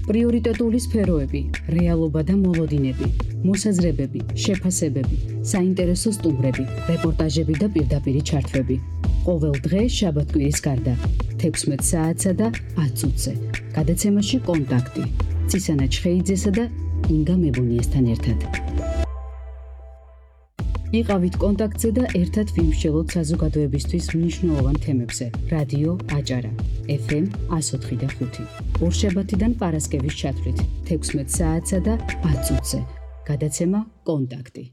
პრიორიტეტული სფეროები, რეალობა და მოლოდინები, მოსაზრებები, შეფასებები, საინტერესო სტუმრები, რეპორტაჟები და პირდაპირი ჩართვები. ყოველ დღე შაბათ-კვირის გარდა 16 საათსა და 10 წუთზე. გადაცემაში კონტაქტი. წისანა ჩხეიძესა და ინგა მებუნიესთან ერთად. იყავით კონტაქტზე და ერთად ვიმსჯელოთ საზოგადოებისთვის მნიშვნელოვან თემებზე. რადიო აჭარა, FM 104.5. ორშაბათიდან პარასკევის ჩათვლით 16 საათსა და 10 წუთზე. გადაცემა კონტაქტი.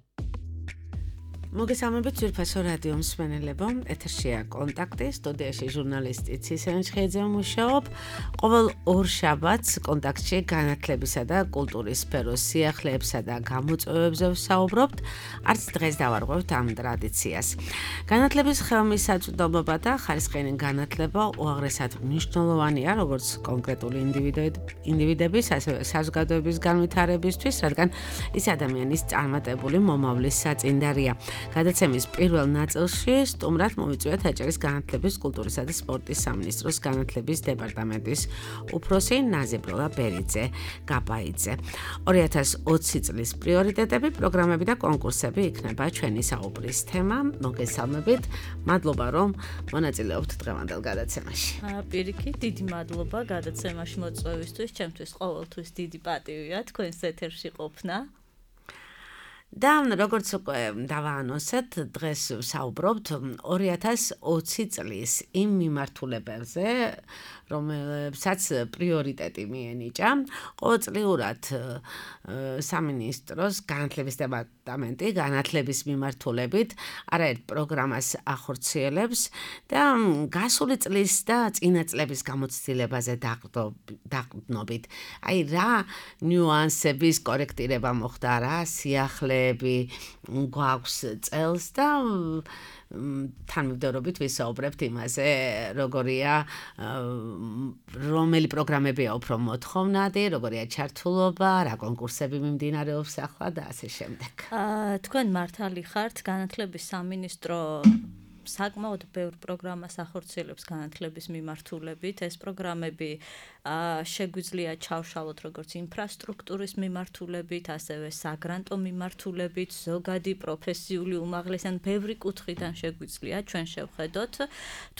მოგესალმებით ძვირფასო რადიო მსმენელებო, ეთერშია კონტაქტი, სტუდიაში ჟურნალისტი ცისანა ჩხეიძე მუშაობ. ყოველ ორ შაბათს კონტაქტში განათლებისა და კულტურის სფეროს სიახლეებსა და გამოწვევებზე ვსაუბრობთ, არც დღეს დავარღვევთ ამ ტრადიციას. განათლების ხელმისაწვდომობა და ხარისხიანი განათლება უაღრესად მნიშვნელოვანია, როგორც კონკრეტული ინდივიდების, ასევე საზოგადოების განვითარებისთვის, რადგან ის ადამიანის წარმატებული მომავლის საწინდარია. გადაცემის პირველ ნაწილში სტუმრად მოვიწვიეთ აჭარის განათლების, კულტურისა და სპორტის სამინისტროს განათლების დეპარტამენტის უფროსი ნაზიბროლა ბერიძე გაბაიძე. 2020 წლის პრიორიტეტები, პროგრამები და კონკურსები იქნება ჩვენი საუბრის თემა. მოგესალმებით, მადლობა რომ მონაწილეობთ დღევანდელ გადაცემაში. პირიქით, დიდი მადლობა გადაცემაში მოწვევისთვის, ჩემთვის ყოველთვის დიდი პატივია თქვენს ეთერში ყოფნა. და როგორც უკვე დავაანონსეთ, დღეს ვსაუბრობთ 2020 წლის იმ მიმართულებებზე, რომელსაც პრიორიტეტი მიენიჭა. ყოველწლიურად სამინისტროს განათლების დეპარტამენტი განათლების მიმართულებით არაერთ პროგრამას ახორციელებს და გასული წლის და წინა წლების გამოცდილებაზე დაყრდნობით. აი რა ნიუანსების კორექტირება მოხდა, რა სიახლეები გვაქვს წელს და თანმიმდევრობით ვისაუბრებთ იმაზე, როგორია რომელი პროგრამებია უფრო მოთხოვნადი, როგორია ჩართულობა, რა კონკურსები მიმდინარეობს ახლა და ასე შემდეგ. თქვენ მართალი ხართ, განათლების სამინისტრო საკმაოდ ბევრ პროგრამას ახორციელებს განათლების მიმართულებით. ეს პროგრამები შეგვიძლია ჩავშალოთ როგორც ინფრასტრუქტურის მიმართულებით, ასევე საგრანტო მიმართულებით, ზოგადი პროფესიული უმაღლესი ან ბევრი კუთხიდან შეგვიძლია ჩვენ შევხედოთ.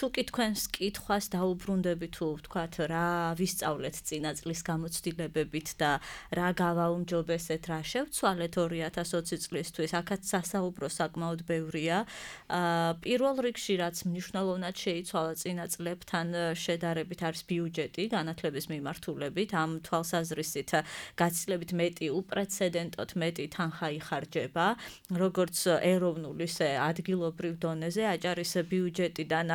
თუ კი თქვენს კითხვას დაუბრუნდებით, თუ ვთქვათ რა ვისწავლეთ წინა წლის გამოცდილებებით და რა გავაუმჯობესეთ, რა შევცვალეთ 2020 წლისთვის, აქაც სასაუბრო საკმაოდ ბევრია. პირველ რიგში რაც მნიშვნელოვნად შეიცვალა წინა წლებთან შედარებით არის ბიუჯეტი განათლების მიმართულებით. ამ თვალსაზრისით გაცილებით მეტი უპრეცედენტოდ მეტი თანხა იხარჯება, როგორც ეროვნულ, ისე ადგილობრივ დონეზე. აჭარის ბიუჯეტიდან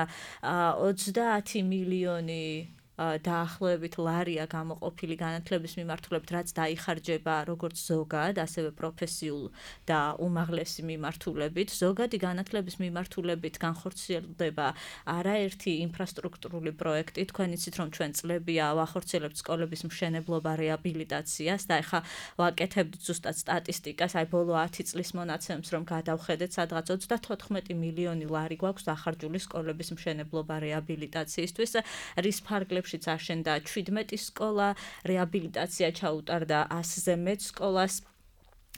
30 მილიონი დაახლოებით ლარია გამოყოფილი განათლების მიმართულებით, რაც დაიხარჯება როგორც ზოგად, ასევე პროფესიულ და უმაღლესი მიმართულებით. ზოგადი განათლების მიმართულებით განხორციელდება არაერთი ინფრასტრუქტურული პროექტი. თქვენ იცით, რომ ჩვენ წლებია ვახორციელებთ სკოლების მშენებლობა, რეაბილიტაციას და ეხლა ვაკეთებთ ზუსტად სტატისტიკას, აი ბოლო 10 წლის მონაცემს რომ გადავხედეთ, სადღაც 34 მილიონი ლარი გვაქვს დახარჯული სკოლების მშენებლობა, რეაბილიტაციისთვის, რის ფარგლებში აშენდა 17 სკოლა, რეაბილიტაცია ჩაუტარდა 100-ზე მეტ სკოლას.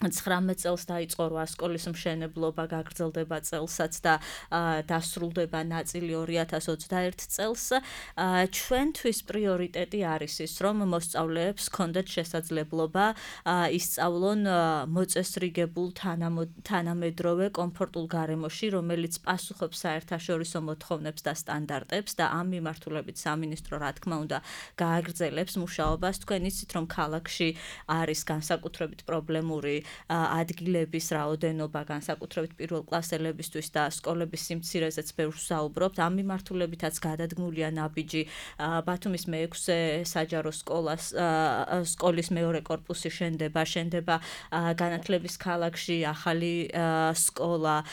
19 წელს დაიწყო 8 სკოლის მშენებლობა, გაგრძელდება წელსაც და დასრულდება ნაწილი 2021 წელს. ჩვენთვის პრიორიტეტი არის ის, რომ მოსწავლეებს ჰქონდეთ შესაძლებლობა ისწავლონ მოწესრიგებულ თანამედროვე კომფორტულ გარემოში, რომელიც პასუხობს საერთაშორისო მოთხოვნებს და სტანდარტებს და ამ მიმართულებით სამინისტრო რა თქმა უნდა გააგრძელებს მუშაობას. თქვენ იცით, რომ ქალაქში არის განსაკუთრებით პრობლემური ადგილების რაოდენობა, განსაკუთრებით პირველკლასელებისთვის და სკოლების სიმცირეზეც ბევრს ვსაუბრობთ. ამ მიმართულებითაც გადადგმულია ნაბიჯი ბათუმის მე-6 საჯარო სკოლის მეორე კორპუსი შენდება განათლების ქალაქში ახალი სკოლა.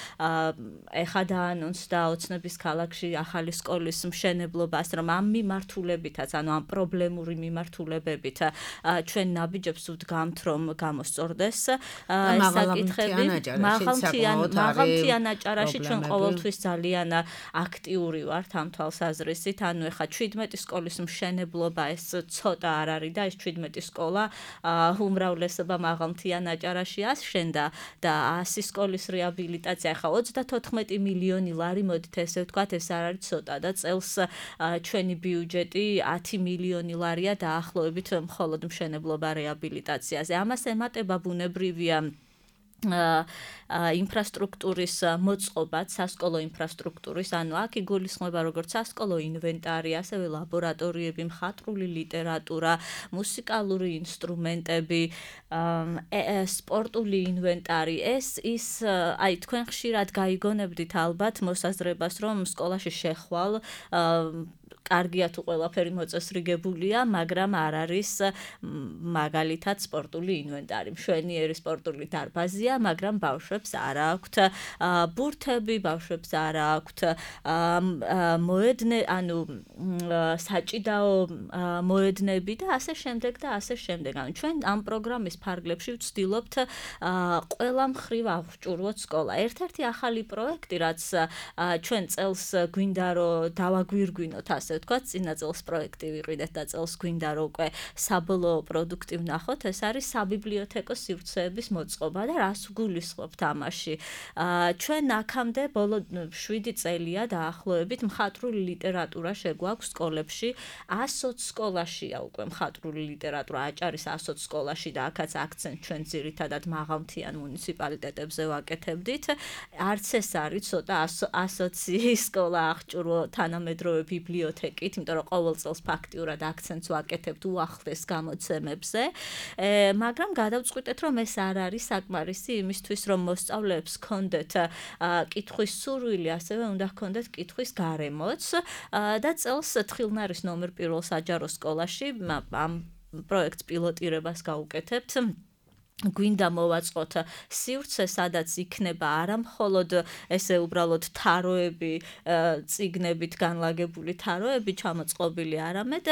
ეხლა დაანონსდა ოცნების ქალაქში ახალი სკოლის მშენებლობას, რომ ამ მიმართულებითაც, ანუ ამ პრობლემური მიმართულებებით ჩვენ ნაბიჯებს ვდგამთ, რომ გამოსწორდეს. საკითხები მაღალმთიან აჭარაში ჩვენ ყოველთვის ძალიან აქტიური ვართ ამ თვალსაზრისით. ანუ ეხა 17 სკოლის მშენებლობა ეს ცოტა არ არის და ეს 17 სკოლა უმრავლესობა მაღალმთიან აჭარაში აშენდა და 100 სკოლის რეაბილიტაცია ეხა 34 მილიონი ლარი მოდით ესე ვთქვათ ეს არ არის ცოტა და წელს ჩვენი ბიუჯეტი 10 მილიონი ლარია დაახლოებით მხოლოდ მშენებლობა რეაბილიტაციაზე. ამას ემატება ბუნებრივია ინფრასტრუქტურის მოწყობაც, სასკოლო ინფრასტრუქტურის, ანუ აქ იგულისხმება როგორც სასკოლო ინვენტარი, ასევე ლაბორატორიები, მხატვრული ლიტერატურა, მუსიკალური ინსტრუმენტები, სპორტული ინვენტარი. ეს ის აი თქვენ ხშირად გაიგონებდით ალბათ მოსაზრებას, რომ სკოლაში შეხვალ კარგია თუ ყველაფერი მოწესრიგებულია, მაგრამ არ არის მაგალითად სპორტული ინვენტარი. მშვენიერი სპორტული დარბაზია, მაგრამ ბავშვებს არ აქვთ ბურთები, ბავშვებს არ აქვთ საჭიდაო მოედნები და ასე შემდეგ და ასე შემდეგ. ანუ ჩვენ ამ პროგრამის ფარგლებში ვცდილობთ ყველა მხრივ აღჭურვოთ სკოლა. ერთ-ერთი ახალი პროექტი, რაც ჩვენ წელს გვინდა რომ დავაგვირგვინოთ ასე ვთქვათ, წინა წელს პროექტი ვიყიდეთ და წელს გვინდა რომ უკვე საბოლოო პროდუქტი ვნახოთ, ეს არის საბიბლიოთეკო სივრცეების მოწყობა და რას ვგულისხმობთ ამაში. ჩვენ აქამდე ბოლო 7 წელია დაახლოებით მხატვრული ლიტერატურა შეგვაქვს სკოლებში, 120 სკოლაშია უკვე მხატვრული ლიტერატურა აჭარის 120 სკოლაში და აქაც აქცენტ ჩვენ ძირითადად მაღალმთიან მუნიციპალიტეტებზე ვაკეთებდით. არც ეს არის ცოტა 120 სკოლა აღჭურვა თანამედროვე ბიბლიოთეკით, იმიტომ რომ ყოველ წელს ფაქტიურად აქცენტს ვაკეთებთ უახლეს გამოცემებზე, მაგრამ გადავწყვიტეთ, რომ ეს არ არის საკმარისი იმისთვის, რომ მოსწავლეებს ჰქონდეთ კითხვის სურვილი, ასევე უნდა ჰქონდეთ კითხვის გარემოც და წელს თხილნარის ნომერ 1 საჯარო სკოლაში ამ პროექტს პილოტირებას გავუკეთებთ. გვინდა მოვაწყოთ სივრცე, სადაც იქნება არა მხოლოდ ესე უბრალოდ თაროები, წიგნებით განლაგებული თაროები ჩამოწყობილი, არამედ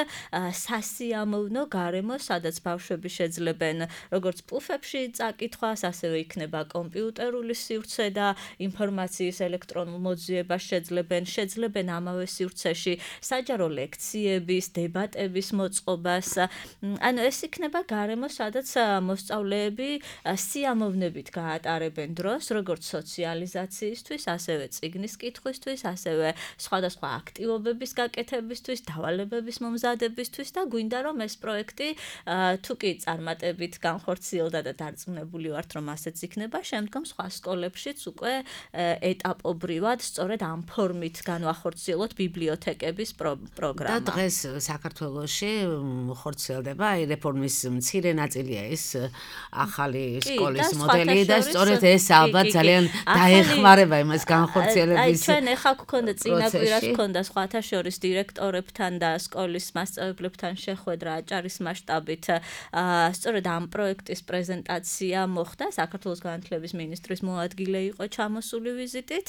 სასიამოვნო გარემო, სადაც ბავშვები შეძლებენ როგორც პუფებში წაკითხვას, ასევე იქნება კომპიუტერული სივრცე და ინფორმაციის ელექტრონულ მოძიებას შეძლებენ ამავე სივრცეში საჯარო ლექციების, დებატების მოწყობას. ანუ ეს იქნება გარემო, სადაც მოსწავლეები სიამოვნებით გაატარებენ დროს, როგორც სოციალიზაციისთვის, ასევე წიგნის კითხვისთვის, ასევე სხვადასხვა აქტივობების გაკეთებისთვის, დავალებების მომზადებისთვის და გვინდა რომ ეს პროექტი თუ კი წარმატებით განხორციელდა და დარწმუნებული ვართ რომ ასეც იქნება, შემდგომ სხვა სკოლებშიც უკვე ეტაპობრივად სწორედ ამ ფორმით განვახორციელოთ ბიბლიოთეკების პროგრამა. და დღეს საქართველოში ხორციელდება აი რეფორმის მცირე ნაწილია ეს ახალი სკოლის მოდელი და სწორედ ეს ალბათ ძალიან დაეხმარება იმას განხორციელების. აი ჩვენ ახლა გქონდა წინა კვირას გქონდა სხვათა შორის დირექტორებთან და სკოლის მასწავლებლებთან შეხვედრა აჭარის მასშტაბით. სწორედ ამ პროექტის პრეზენტაცია მოხდა, საქართველოს განათლების მინისტრის მოადგილე იყო ჩამოსული ვიზიტით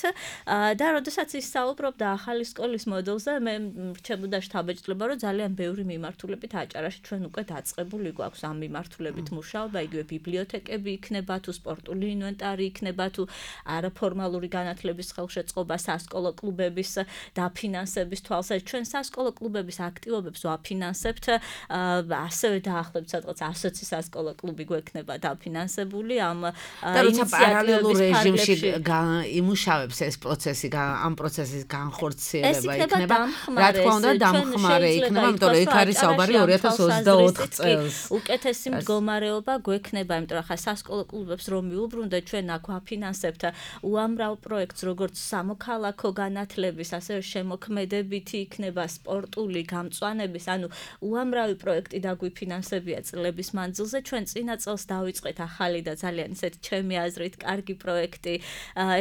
და როდესაც ისაუბრობდა ახალი სკოლის მოდელზე, მე რჩებოდა შთაბეჭდილება, რომ ძალიან ბევრი მიმართულებით აჭარაში ჩვენ უკვე დაწყებული გვაქვს ამ მიმართულებით მუშაობა, იგივე ბიბლიოთეკები იქნება თუ სპორტული ინვენტარი იქნება თუ არაფორმალური განათლების ხელშეწყობა სასკოლო კლუბების დაფინანსების თვალსაზრისით. ჩვენ სასკოლო კლუბების აქტივობებს ვაფინანსებთ, ასევე დაახლოებით სადღაც 120 სასკოლო კლუბი გვექნება დაფინანსებული ამ ინიციატივების რეჟიმში იმუშავებს ეს პროცესი, ამ პროცესის განხორციელება იქნება. რა თქმა უნდა, დამხმარე იქნება, იმიტომ რომ იქ არის საუბარი 2024 წელს. უკეთესი მდგომარეობა გვექნება, იმიტომ რომ ხა სასკოლო კლუბებს რომ მიუბრუნდეთ, ჩვენ აქ ვაფინანსებთ უამრავ პროექტს, როგორც სამოქალაქო განათლების, ასევე შემოქმედებითი იქნება სპორტული გამწვანების, ანუ უამრავი პროექტი დაგვიფინანსებია წლების მანძილზე. ჩვენ წინა წელს დავიწყეთ ახალი და ძალიან ისეთი ჩემი აზრით კარგი პროექტი.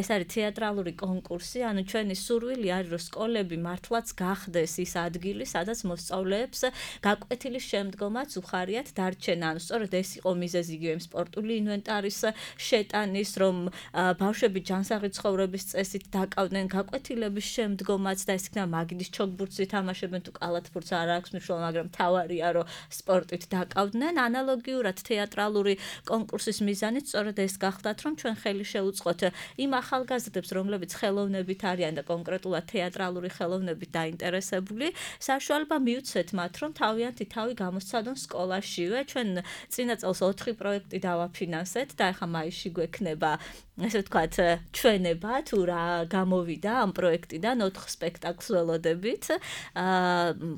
ეს არის თეატრალური კონკურსი, ანუ ჩვენი სურვილი არის, რომ სკოლები მართლაც გახდეს ის ადგილი, სადაც მოსწავლეებს გაკვეთილის შემდგომაც უხარიათ დარჩენა. ანუ სწორედ ეს იყო მიზეზი იგივე იმ სპორტული ინვენტარის შეტანის, რომ ბავშვები ჯანსაღი ცხოვრების წესით დაკავდნენ გაკვეთილების შემდგომაც და ეს იქნება მაგიდის ჩოგბურთს ითამაშებენ თუ კალათბურთს არ აქვს მნიშვნელობა, მაგრამ თავარია რომ სპორტით დაკავდნენ. ანალოგიურად თეატრალური კონკურსის მიზანიც სწორედ ეს გახლდათ, რომ ჩვენ ხელი შევუწყოთ იმ ახალგაზრდებს, რომლებიც ხელოვნებით არიან და კონკრეტულად თეატრალური ხელოვნებით დაინტერესებული, საშუალება მივცეთ მათ, რომ თავიანთი თავი გამოსცადონ სკოლაშივე. ჩვენ წინა წელს 4 პროექტი დავაფინანსეთ და ახლა მაისში გვექნება ესე ვთქვათ, ჩვენება თუ რა გამოვიდა ამ პროექტიდან 4 სპექტაკლს ველოდებით.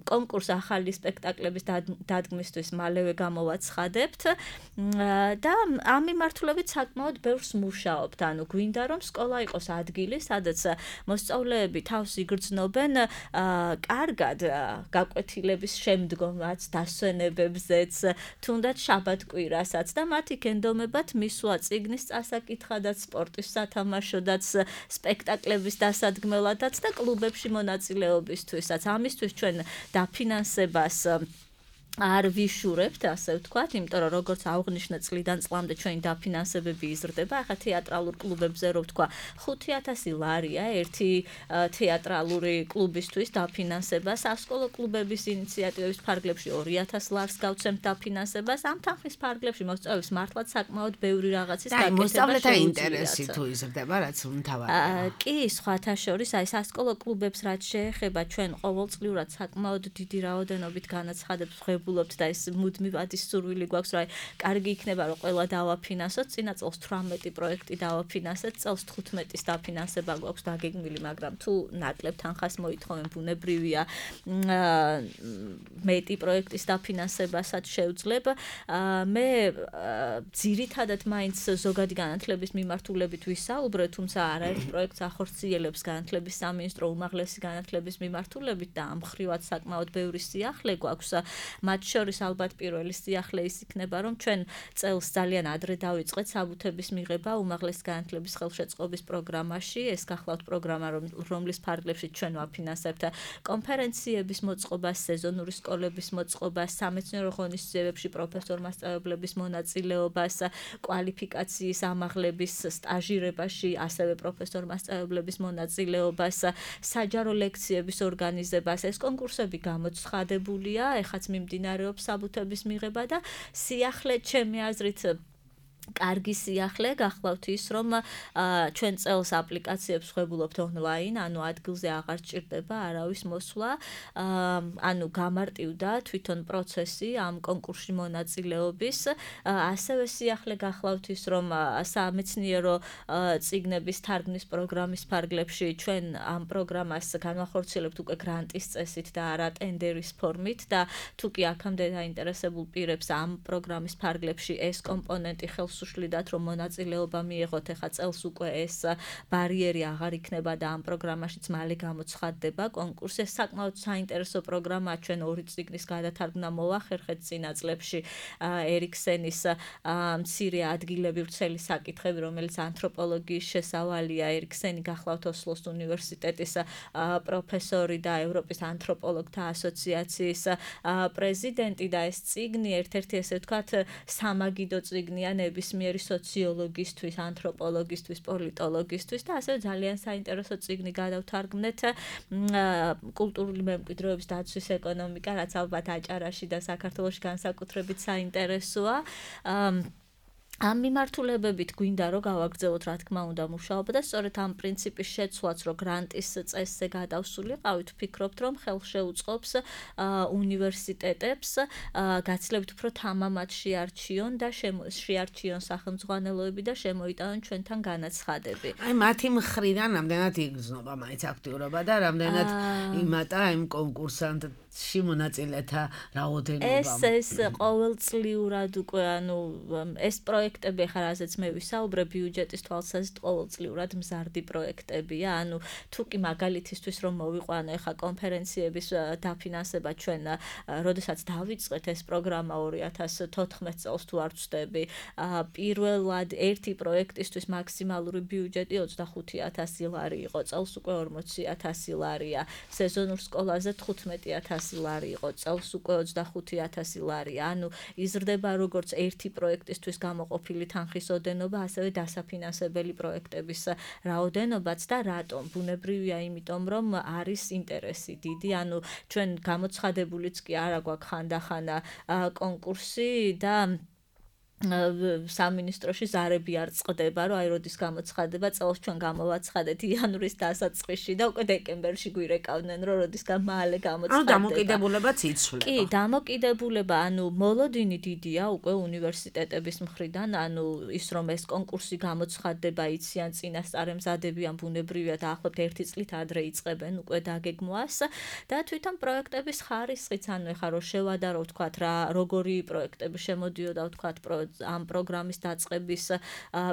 კონკურს ახალი სპექტაკლების დადგმისთვის მალევე გამოვაცხადებთ და ამ მიმართულებით საკმაოდ ბევრს მუშაობთ. ანუ გვინდა რომ სკოლა იყოს ადგილი, სადაც მოსწავლეები თავს იგრძნობენ კარგად გაკვეთილების შემდგომაც, დასვენებებზეც, თუნდაც შაბათ-კვირასაც და მათ იქ მისვლა წიგნის წასაკითხადაც, სპორტის სათამაშოდაც, სპექტაკლების დასადგმელადაც და კლუბებში მონაწილეობისთვისაც. ამისთვის ჩვენ დაფინანსებას არ ვიშურებთ, ასე ვთქვათ, იმიტომ რომ როგორც აღვნიშნე წლიდან წლამდე ჩვენი დაფინანსებები იზრდება. ახლა თეატრალურ კლუბებზე რო ვთქვა 5000 ლარია ერთი თეატრალური კლუბისთვის დაფინანსებას, სასკოლო კლუბების ინიციატივების ფარგლებში 2000 ლარს გავცემთ დაფინანსებას. ამ თანხის ფარგლებში მოსწავლეებს მართლაც საკმაოდ ბევრი რაღაცის გაკეთება მოსწავლეთა ინტერესი თუ იზრდება, რაც მთავარია. კი, სხვათა შორის, აი სასკოლო კლუბებს რაც შეეხება, ჩვენ ყოველწლიურად საკმაოდ დიდი რაოდენობით განაცხადებს და ეს მუდმივად ის სურვილი გვაქვს, რომ კარგი იქნება, რომ ყველა დავაფინანსოთ. წინა წელს 18 პროექტი დავაფინანსეთ, წელს 15-ის დაფინანსება გვაქვს დაგეგმილი, მაგრამ თუ ნაკლებ თანხას მოითხოვენ, ბუნებრივია მეტი პროექტის დაფინანსებასაც შევძლებ. მე ძირითადად მაინც ზოგადი განათლების მიმართულებით ვისაუბრე, თუმცა არაერთ პროექტს ახორციელებს განათლების სამინისტრო უმაღლესი განათლების მიმართულებით და ამ ხრივაც საკმაოდ ბევრი სიახლე გვაქვს. მათ შორის ალბათ პირველი სიახლე ის იქნება, რომ ჩვენ წელს ძალიან ადრე დავიწყეთ საბუთების მიღება უმაღლესი განათლების ხელშეწყობის პროგრამაში. ეს გახლავთ პროგრამა, რომლის ფარგლებში ჩვენ ვაფინანსებთ კონფერენციების მოწყობას, სეზონური სკოლების მოწყობას, სამეცნიერო ღონისძიებებში პროფესორ-მასწავლებლების მონაწილეობას, კვალიფიკაციის ამაღლების სტაჟირებაში, ასევე პროფესორ-მასწავლებლების მონაწილეობას, საჯარო ლექციების ორგანიზებას. ეს კონკურსები გამოცხადებულია, ეხაც მიმდინარეობს საბუთების მიღება და სიახლე ჩემი აზრით კარგი სიახლე გახლავთ ის, რომ ჩვენ წელს აპლიკაციებს ვხებულობთ ონლაინ, ანუ ადგილზე აღარ სჭირდება არავის მოსვლა, ანუ გამარტივდა თვითონ პროცესი ამ კონკურსში მონაწილეობის. ასევე სიახლე გახლავთ ის, რომ სამეცნიერო წიგნების თარგმნის პროგრამის ფარგლებში ჩვენ ამ პროგრამას განვახორციელებთ უკვე გრანტის წესით და არა ტენდერის ფორმით და თუ კი აქამდე დაინტერესებულ პირებს ამ პროგრამის ფარგლებში ეს კომპონენტი ხელს უშლიდათ, რომ მონაწილეობა მიიღოთ, ეხა წელს უკვე ეს ბარიერი აღარ იქნება და ამ პროგრამაშიც მალე გამოცხადდება კონკურსი. ეს საკმაოდ საინტერესო პროგრამაა, ჩვენ 2 წიგნის გადათარგმნა მოვახერხეთ წინა წლებში ერიქსენის მცირე ადგილები ვრცელი საკითხები, რომელიც ანთროპოლოგიის შესავალია. ერიქსენი გახლავთ ოსლოს უნივერსიტეტის პროფესორი და ევროპის ანთროპოლოგთა ასოციაციის პრეზიდენტი და ეს წიგნი ერთ-ერთი ესე ვთქვათ სამაგიდო წიგნია ნებისმიერი სოციოლოგისთვის, ანთროპოლოგისთვის, პოლიტოლოგისთვის და ასევე ძალიან საინტერესო წიგნი გადავთარგმნეთ კულტურული მემკვიდრეობის დაცვის ეკონომიკა, რაც ალბათ აჭარაში და საქართველოში განსაკუთრებით საინტერესოა. ამ მიმართულებებით გვინდა რომ გავაგრძელოთ, რა თქმა უნდა, მუშაობა და სწორედ ამ პრინციპის შეცვლაც, რომ გრანტის წესზე გადავსულიყავით, ვფიქრობთ, რომ ხელშეუწყობს უნივერსიტეტებს გაცილებით უფრო თამამად შეარჩიონ და შეარჩიონ სახელმძღვანელოები და შემოიტანონ ჩვენთან განაცხადები. აი მათი მხრიდან რამდენად იგრძნობა მაინც აქტიურობა და რამდენად იმატა იმ კონკურსანტში მონაწილეთა რაოდენობა. ეს ყოველწლიურად უკვე, ანუ ეს პროექტი პროექტები ახლა რაზეც მე ვისაუბრე ბიუჯეტის თვალსაზრისით ყოველწლიურად მზარდი პროექტებია. ანუ თუ კი მაგალითისთვის რომ მოვიყვანო ახლა კონფერენციების დაფინანსება ჩვენ როდესაც დავიწყეთ ეს პროგრამა 2014 წელს თუ არ ვცდები, პირველად ერთი პროექტისთვის მაქსიმალური ბიუჯეტი 25,000 ლარი იყო, წელს უკვე 40,000 ლარია, სეზონურ სკოლაზე 15,000 ლარი იყო, წელს უკვე 25,000 ლარია. ანუ იზრდება როგორც ერთი პროექტისთვის გამოყოფილი თანხის ოდენობა, ასევე დასაფინანსებელი პროექტების რაოდენობაც და რატომ? ბუნებრივია, იმიტომ რომ არის ინტერესი დიდი, ანუ ჩვენ გამოცხადებულიც კი არა გვაქვს ხანდახან კონკურსი და სამინისტროში ზარები არ წყდება, რომ აი როდის გამოცხადება, წელს ჩვენ გამოვაცხადეთ იანვრის დასაწყისში და უკვე დეკემბერში გვირეკავდნენ, რომ როდისგან მალე გამოცხადება. ანუ დამოკიდებულებაც იცვლება. კი, დამოკიდებულება, ანუ მოლოდინი დიდია უკვე უნივერსიტეტების მხრიდან, ანუ ის რომ ეს კონკურსი გამოცხადდება, იციან წინასწარმზადებიან ბუნებრივია და ახლობთ ერთი წლით ადრე იწყებენ უკვე დაგეგმვას და თვითონ პროექტების ხარისხიც, ანუ ეხლა რო შევადარო ვთქვათ რა, როგორი პროექტები შემოდიოდა ვთქვათ ამ პროგრამის დაწყების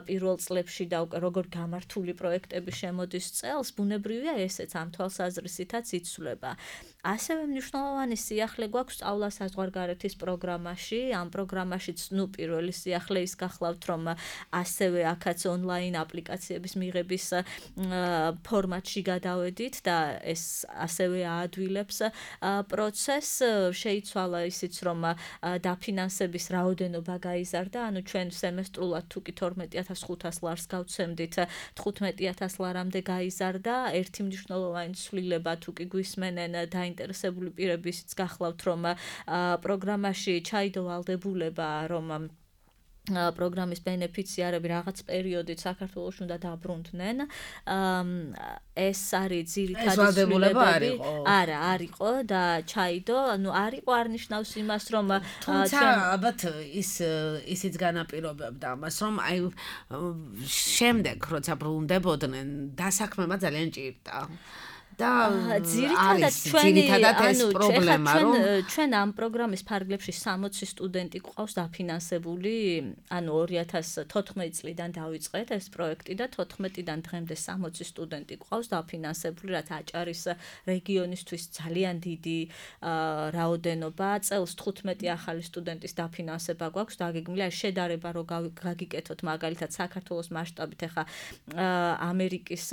პირველ წლებში და უკვე როგორ გამართული პროექტები შემოდის წელს, ბუნებრივია ესეც ამ თვალსაზრისითაც იცვლება. ასევე მნიშვნელოვანი სიახლე გვაქვს სწავლა საზღვარგარეთის პროგრამაში. ამ პროგრამაშიც პირველი სიახლე ის გახლავთ, რომ ასევე აქაც ონლაინ აპლიკაციების მიღების ფორმატში გადავედით და ეს ასევე აადვილებს პროცესს. შეიცვალა ისიც, რომ დაფინანსების რაოდენობა გაიზარდა, ანუ ჩვენ სემესტრულად თუ კი 12,500 ლარს გავცემდით, 15,000 ლარამდე გაიზარდა. ერთი მნიშვნელოვანი ცვლილება თუ კი გვისმენენ დაინტერესებული პირებიც გახლავთ, რომ პროგრამაში ჩაიდო ვალდებულება, რომ პროგრამის ბენეფიციარები რაღაც პერიოდით საქართველოში უნდა დაბრუნდნენ. ეს არის ძირითადი ცვლილებები. არა, არ იყო და ჩაიდო, ანუ არ იყო არ ნიშნავს იმას, რომ თუმცა ალბათ ისიც განაპირობებდა ამას, რომ აი შემდეგ როცა ბრუნდებოდნენ, დასაქმება ძალიან ჭირდა. და ძირითადად ეს პრობლემა, რომ ჩვენ ამ პროგრამის ფარგლებში 60 სტუდენტი გვყავს დაფინანსებული, ანუ 2014 წლიდან დავიწყეთ ეს პროექტი და 14-დან დღემდე 60 სტუდენტი გვყავს დაფინანსებული, რაც აჭარის რეგიონისთვის ძალიან დიდი რაოდენობა. წელს 15 ახალი სტუდენტის დაფინანსება გვაქვს დაგეგმილი, აი შედარება რო გაგიკეთოთ მაგალითად საქართველოს მასშტაბით, ახლა ამერიკის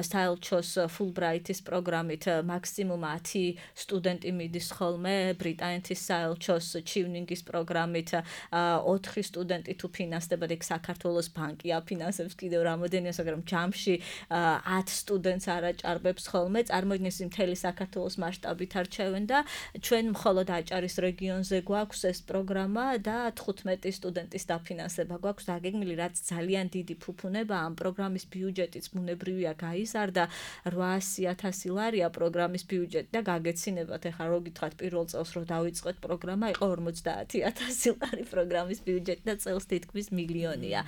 საელჩოს Fulbright ის პროგრამით მაქსიმუმ 10 სტუდენტი მიდის ხოლმე, ბრიტანეთის საელჩოს ჩივნინგის პროგრამით 4 სტუდენტი თუ ფინანსდება, ეგ საქართველოს ბანკი აფინანსებს კიდევ რამოდენია, მაგრამ ჯამში 10 სტუდენტს არაჭარბებს ხოლმე, წარმოიდგინეთ მთელი საქართველოს მასშტაბით არჩევენ და ჩვენ მხოლოდ აჭარის რეგიონზე გვაქვს ეს პროგრამა და 15 სტუდენტის დაფინანსება გვაქვს დაგეგმილი, რაც ძალიან დიდი ფუფუნება. ამ პროგრამის ბიუჯეტიც ბუნებრივია გაიზარდა 800,000 ლარია პროგრამის ბიუჯეტი და გაგეცინებათ, ეხლა რო გითხრათ პირველ წელს რო დავიწყეთ პროგრამა, იყო 50,000 ლარი პროგრამის ბიუჯეტი და წელს თითქმის მილიონია.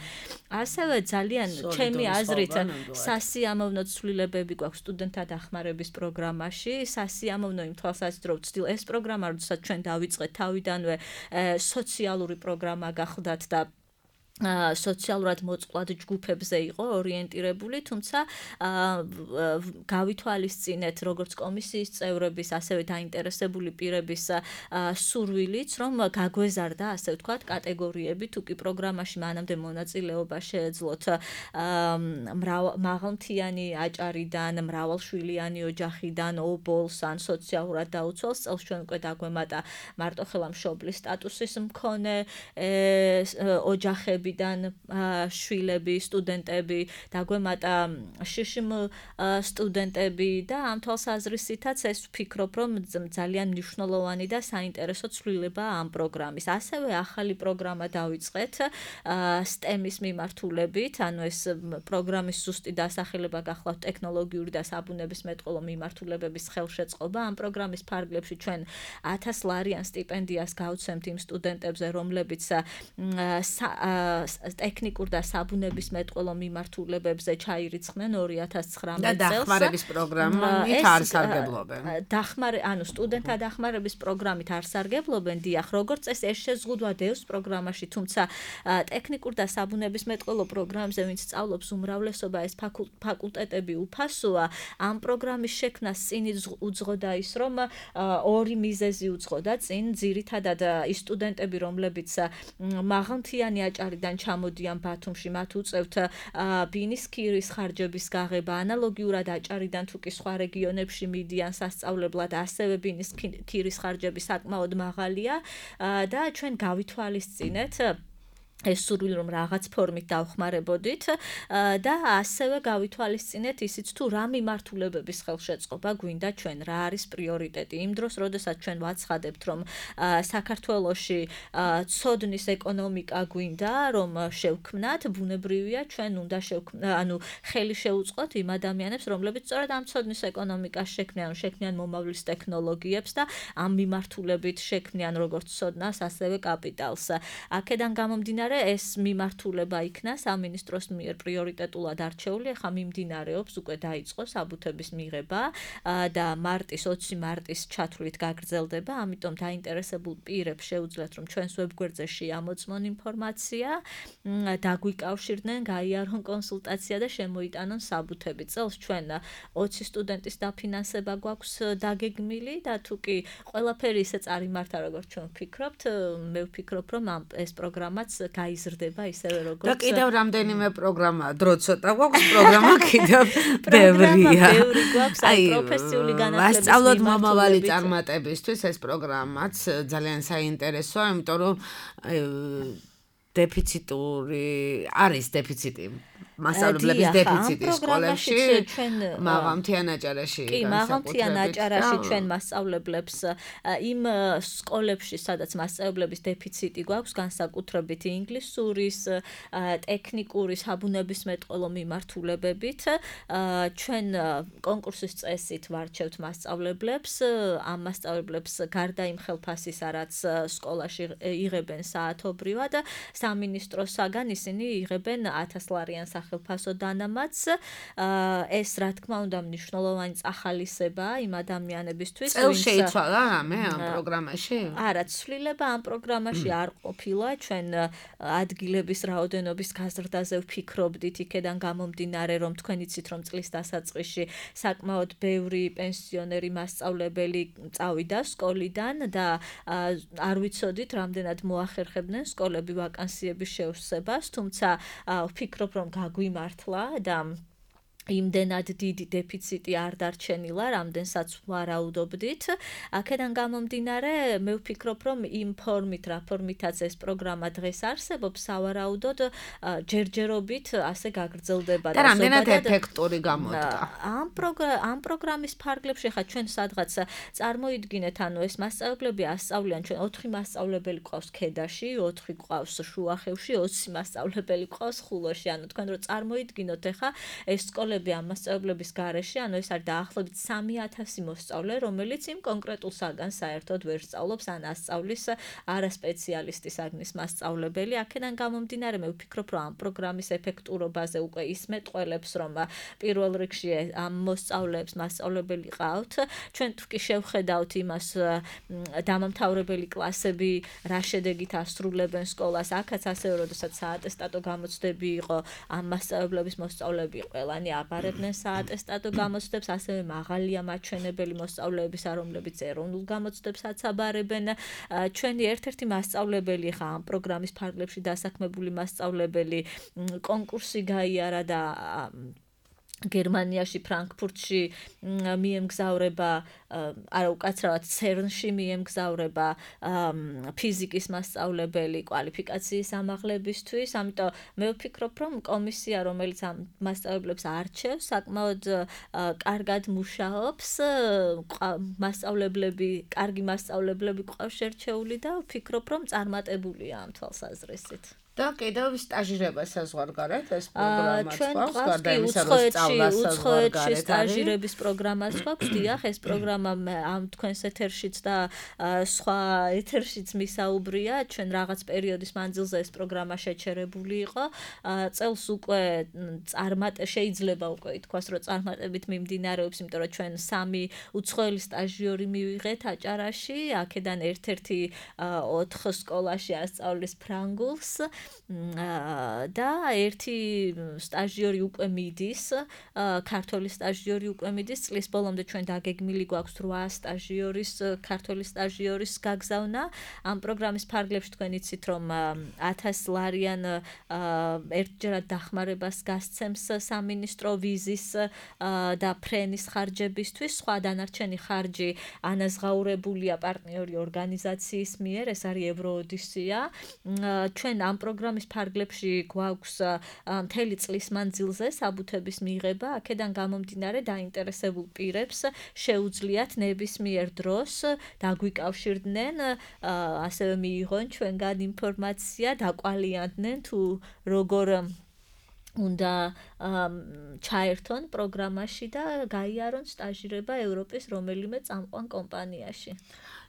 ასევე ძალიან ჩემი აზრით სასიამოვნო ცვლილებები გვაქვს სტუდენტთა დახმარების პროგრამაში. სასიამოვნო იმ თვალსაზრისით, რომ ვცდილ ეს პროგრამა, როდესაც ჩვენ დავიწყეთ თავიდანვე სოციალური პროგრამა გახლდათ და სოციალურად მოწყვლად ჯგუფებზე იყო ორიენტირებული, თუმცა გავითვალისწინეთ როგორც კომისიის წევრების, ასევე დაინტერესებული პირების სურვილიც, რომ გაგვეზარდა, ასე ვთქვათ, კატეგორიები, თუ კი პროგრამაში მანამდე მონაწილეობა შეეძლოთ მაღალმთიანი აჭარიდან, მრავალშვილიანი ოჯახიდან, ობოლს ან სოციალურად დაუცველს წელს ჩვენ უკვე დაგვემატა მარტოხელა მშობლის სტატუსის მქონე ოჯახები შვილები, სტუდენტები, დაგვემატა შშმ სტუდენტები და ამ თვალსაზრისითაც ეს ვფიქრობ, რომ ძალიან მნიშვნელოვანი და საინტერესო ცვლილება ამ პროგრამის. ასევე ახალი პროგრამა დავიწყეთ STEM-ის მიმართულებით, ანუ ეს პროგრამის ზუსტი დასახელება გახლავთ ტექნოლოგიური და საბუნებისმეტყველო მიმართულებების ხელშეწყობა. ამ პროგრამის ფარგლებში ჩვენ 1000 ლარიან სტიპენდიას გავცემთ იმ სტუდენტებზე, რომლებიც ტექნიკურ და საბუნებისმეტყველო მიმართულებებზე ჩაირიცხნენ 2019 და დახმარების პროგრამით არ სარგებლობენ. ანუ სტუდენტთა დახმარების პროგრამით არ სარგებლობენ, დიახ, როგორც წესი ეს შეზღუდვა დევს პროგრამაში, თუმცა ტექნიკურ და საბუნებისმეტყველო პროგრამებზე ვინც სწავლობს უმრავლესობა ეს ფაკულტეტები უფასოა, ამ პროგრამის შექმნას წინ უძღოდა ის, რომ ორი მიზეზი უძღოდა წინ, ძირითადად ის სტუდენტები, რომლებიც მაღალმთიანი აჭარიდან ჩამოდიან ბათუმში, მათ უწევთ ბინის ქირის ხარჯების გაღება, ანალოგიურად აჭარიდან თუ კი სხვა რეგიონებში მიდიან სასწავლებლად, ასევე ბინის ქირის ხარჯები საკმაოდ მაღალია და ჩვენ გავითვალისწინეთ ეს სურვილი რომ რაღაც ფორმით დავხმარებოდით და ასევე გავითვალისწინეთ ისიც თუ რა მიმართულებების ხელშეწყობა გვინდა ჩვენ, რა არის პრიორიტეტი იმ დროს, როდესაც ჩვენ ვაცხადებთ რომ საქართველოში ცოდნის ეკონომიკა გვინდა რომ შევქმნათ, ბუნებრივია ჩვენ უნდა ხელი შევუწყოთ იმ ადამიანებს, რომლებიც სწორედ ამ ცოდნის ეკონომიკას შექმნიან მომავლის ტექნოლოგიებს და ამ მიმართულებით შექმნიან როგორც ცოდნას, ასევე კაპიტალს. აქედან გამომდინარე ეს მიმართულება იქნა სამინისტროს მიერ პრიორიტეტულად არჩეული, ახლა მიმდინარეობს, უკვე დაიწყო საბუთების მიღება და 20 მარტის ჩათვლით გაგრძელდება, ამიტომ დაინტერესებულ პირებს შეუძლიათ რომ ჩვენს ვებგვერდზე შეამოწმონ ინფორმაცია, დაგვიკავშირდნენ, გაიარონ კონსულტაცია და შემოიტანონ საბუთები. წელს ჩვენ 20 სტუდენტის დაფინანსება გვაქვს დაგეგმილი და თუ კი ყველაფერი ისე წარიმართა როგორც ჩვენ ვფიქრობთ, მე ვფიქრობ რომ ეს პროგრამაც გაიზრდება ისევე როგორც და კიდევ რამდენიმე პროგრამა, დრო ცოტა გვაქვს, პროგრამა კიდევ ბევრია. ბევრი გვაქვს, აი პროფესიული განათლების ვასწავლოთ მომავალი წარმატებისთვის ეს პროგრამაც ძალიან საინტერესოა, იმიტომ რომ არის დეფიციტი მასწავლებლების დეფიციტი სკოლებში, მაღალმთიან აჭარაში. კი, მაღალმთიან აჭარაში ჩვენ მასწავლებლებს იმ სკოლებში, სადაც მასწავლებლების დეფიციტი გვაქვს, განსაკუთრებით ინგლისურის, ტექნიკური, საბუნებისმეტყველო მიმართულებებით, ჩვენ კონკურსის წესით ვარჩევთ მასწავლებლებს, ამ მასწავლებლებს გარდა იმ ხელფასისა, რაც სკოლაში იღებენ საათობრივად, სამინისტროსაგან ისინი იღებენ 1000 ლარიან სახელფასო დანამატს. ეს რა თქმა უნდა მნიშვნელოვანი წახალისებაა იმ ადამიანებისთვის, წელს შეიცვალა რამე ამ პროგრამაში? არა, ცვლილება ამ პროგრამაში არ ყოფილა, ჩვენ ადგილების რაოდენობის გაზრდაზე ვფიქრობდით, იქედან გამომდინარე, რომ თქვენ იცით, რომ წლის დასაწყისში საკმაოდ ბევრი პენსიონერი მასწავლებელი წავიდა სკოლიდან და არ ვიცოდით, რამდენად მოახერხებდნენ სკოლები ვაკანსიების შევსებას, თუმცა ვფიქრობ, რომ გაგვიმართლა და იმდენად დიდი დეფიციტი არ დარჩენილა, რამდენსაც ვარაუდობდით. აქედან გამომდინარე, მე ვფიქრობ, რომ იმ ფორმით, რა ფორმითაც ეს პროგრამა დღეს არსებობს, სავარაუდოდ ჯერჯერობით ასე გაგრძელდება და რამდენად ეფექტური გამოდგა. ამ პროგრამის ფარგლებში ხა ჩვენ სადღაც წარმოიდგინეთ, ანუ ეს მასწავლებლები ასწავლიან, ჩვენ 4 მასწავლებელი ყავს ქედაში, 4 ყავს შუახევში, 20 მასწავლებელი ყავს ხულოში. ანუ თქვენ რო წარმოიდგინოთ, ხა ეს ამ მასწავლებლების გარეშე, ანუ ეს არის დაახლოებით 3000 მოსწავლე, რომელიც იმ კონკრეტულ საგანს საერთოდ ვერ სწავლობს, ან ასწავლის არასპეციალისტი საგნის მასწავლებელი. აქედან გამომდინარე, მე ვფიქრობ, რომ ამ პროგრამის ეფექტურობაზე უკვე ის მეტყველებს, რომ პირველ რიგში ამ მოსწავლეებს მასწავლებელი ყავთ. ჩვენ თუ კი შევხედავთ იმას, დამამთავრებელი კლასები რა შედეგით ასრულებენ სკოლას, აქაც ასევე, როდესაც საატესტატო გამოცდები იყო, ამ მასწავლებლების მოსწავლეები ყველანი აბარებდნენ საატესტატო გამოცდებს, ასევე მაღალია მაჩვენებელი მოსწავლეების, რომლებიც ეროვნულ გამოცდებსაც აბარებენ. ჩვენი ერთ-ერთი მასწავლებელი ხა ამ პროგრამის ფარგლებში დასაქმებული მასწავლებელი კონკურსი გაიარა და გერმანიაში, ფრანკფურტში მიემგზავრება, არა უკაცრავად CERN-ში მიემგზავრება ფიზიკის მასწავლებელი კვალიფიკაციის ამაღლებისთვის. ამიტომ მე ვფიქრობ, რომ კომისია, რომელიც ამ მასწავლებლებს არჩევს, საკმაოდ კარგად მუშაობს, კარგი მასწავლებლები ყავს შერჩეული და ვფიქრობ, რომ წარმატებულია ამ თვალსაზრისით. და კიდევ სტაჟირება საზღვარგარეთ ეს პროგრამაც ჩვენ გვაქვს გარდა იმისა რომ სწავლა საზღვარგარეთ სტაჟირების პროგრამაც გვაქვს დიახ ეს პროგრამა ამ თქვენს ეთერშიც და სხვა ეთერშიც მისაუბრია ჩვენ რაღაც პერიოდის მანძილზე ეს პროგრამა შეჩერებული იყო წელს უკვე შეიძლება უკვე ითქვას რომ წარმატებით მიმდინარეობს იმიტომ რომ ჩვენ 3 უცხოელი სტაჟიორი მივიღეთ აჭარაში აქედან ერთ-ერთი 4 სკოლაში ასწავლის ფრანგულს და ერთი სტაჟიორი უკვე მიდის, ქართული სტაჟიორი უკვე მიდის, წლის ბოლომდე ჩვენ დაგეგმილი გვაქვს 8 სტაჟიორის, ქართული სტაჟიორის გაგზავნა. ამ პროგრამის ფარგლებში თქვენ იცით, რომ 1000 ლარიან ერთჯერად დახმარებას გასცემს სამინისტრო ვიზის და ფრენის ხარჯებისთვის, სხვა დანარჩენი ხარჯი ანაზღაურებულია პარტნიორი ორგანიზაციის მიერ, ეს არის ევროოდისია. ჩვენ ამ პროგრამის ფარგლებში გვაქვს მთელი წლის მანძილზე საბუთების მიღება, აქედან გამომდინარე დაინტერესებულ პირებს შეუძლიათ ნებისმიერ დროს დაგვიკავშირდნენ, ასევე მიიღონ ჩვენგან ინფორმაცია, დაკვალიანდნენ თუ როგორ უნდა ჩაერთონ პროგრამაში და გაიარონ სტაჟირება ევროპის რომელიმე წამყვან კომპანიაში.